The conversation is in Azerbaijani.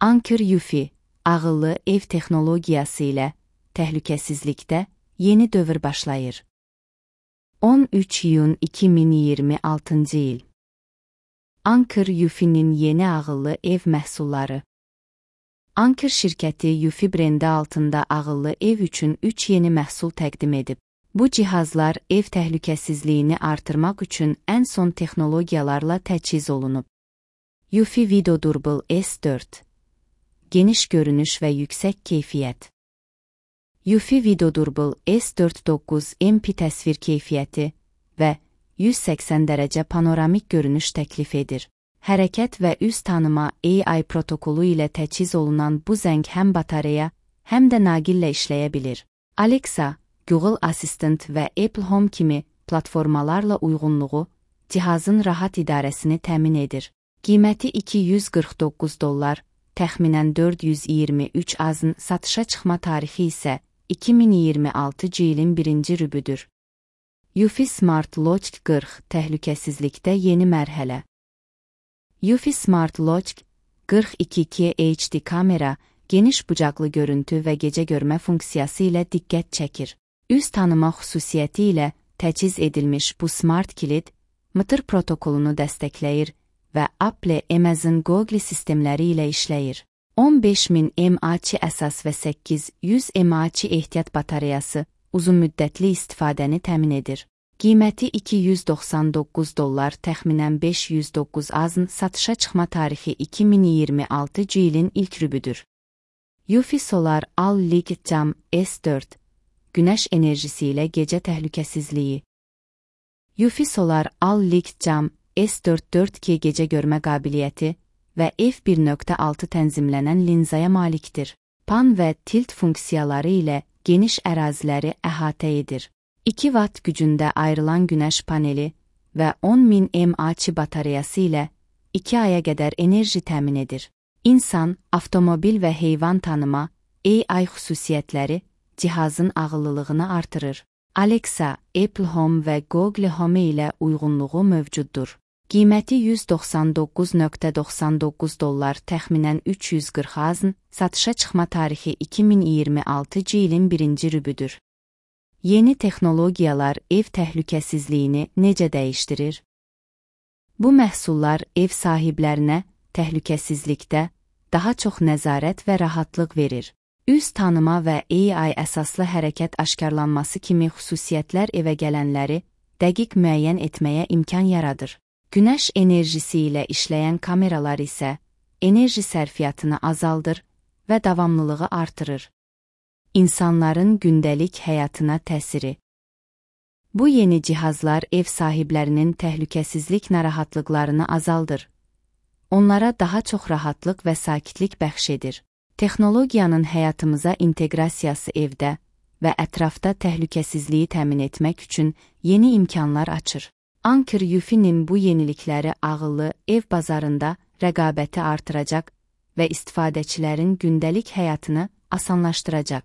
Anker UFI, ağıllı ev texnologiyası ilə təhlükəsizlikdə yeni dövr başlayır. 13 iyun 2026 il. Anker UFI'nin yeni ağıllı ev məhsulları. Anker şirkəti UFI brendi altında ağıllı ev üçün 3 yeni məhsul təqdim edib. Bu cihazlar ev təhlükəsizliyini artırmaq üçün ən son texnologiyalarla təchiz olunub. UFI Video Durable S4. Geniş görünüş və yüksək keyfiyyət. UFI Video Durable S4 9 MP təsvir keyfiyyəti və 180 dərəcə panoramik görünüş təklif edir. Hərəkət və üz tanıma AI protokolu ilə təchiz olunan bu zəng həm batareya, həm də naqillə işləyə bilir. Alexa, Google Assistant və Apple Home kimi platformalarla uyğunluğu cihazın rahat idarəsini təmin edir. Qiyməti $249, təxminən 423 azın satışa çıxma tarixi isə 2026 ilin 1-ci rübüdür. UFI Smart Logic 40 təhlükəsizlikdə yeni mərhələ. UFI Smart Logic 42 HD kamera, geniş bucaqlı görüntü və gecə görmə funksiyası ilə diqqət çəkir. Üz tanıma xüsusiyyəti ilə təchiz edilmiş bu smart kilid, MTR protokolunu dəstəkləyir və Apple, Amazon, Google sistemləri ilə işləyir. 15000 mAh əsas və 800 mAh ehtiyat batareyası uzun müddətli istifadəni təmin edir. Qiyməti $299, təxminən 509 azın satışa çıxma tarixi 2026 ilin ilk rübüdür. UFI Solar All-League Cam S4. Günəş enerjisi ilə gecə təhlükəsizliyi. UFI Solar All-League Cam S4 4K gecə görmə qabiliyyəti və f1.6 tənzimlənən linzaya malikdir. Pan və tilt funksiyaları ilə geniş əraziləri əhatə edir. 2 Watt gücündə ayrılan günəş paneli və 10.000 mAh batareyası ilə 2 aya qədər enerji təmin edir. İnsan, avtomobil və heyvan tanıma AI xüsusiyyətləri cihazın ağıllılığını artırır. Alexa, Apple Home və Google Home ilə uyğunluğu mövcuddur. Qiyməti $199.99, təxminən 340 azın, satışa çıxma tarixi 2026 ilin 1-ci rübüdür. Yeni texnologiyalar ev təhlükəsizliyini necə dəyişdirir? Bu məhsullar ev sahiblərinə təhlükəsizlikdə daha çox nəzarət və rahatlıq verir. Üz tanıma və AI əsaslı hərəkət aşkarlanması kimi xüsusiyyətlər evə gələnləri dəqiq müəyyən etməyə imkan yaradır. Günəş enerjisi ilə işləyən kameralar isə enerji sərfiyyatını azaldır və davamlılığı artırır. İnsanların gündəlik həyatına təsiri. Bu yeni cihazlar ev sahiblərinin təhlükəsizlik narahatlıqlarını azaldır. Onlara daha çox rahatlıq və sakitlik bəxş edir. Texnologiyanın həyatımıza inteqrasiyası evdə və ətrafda təhlükəsizliyi təmin etmək üçün yeni imkanlar açır. Anker UFI'nin bu yenilikləri ağıllı ev bazarında rəqabəti artıracaq və istifadəçilərin gündəlik həyatını asanlaşdıracaq.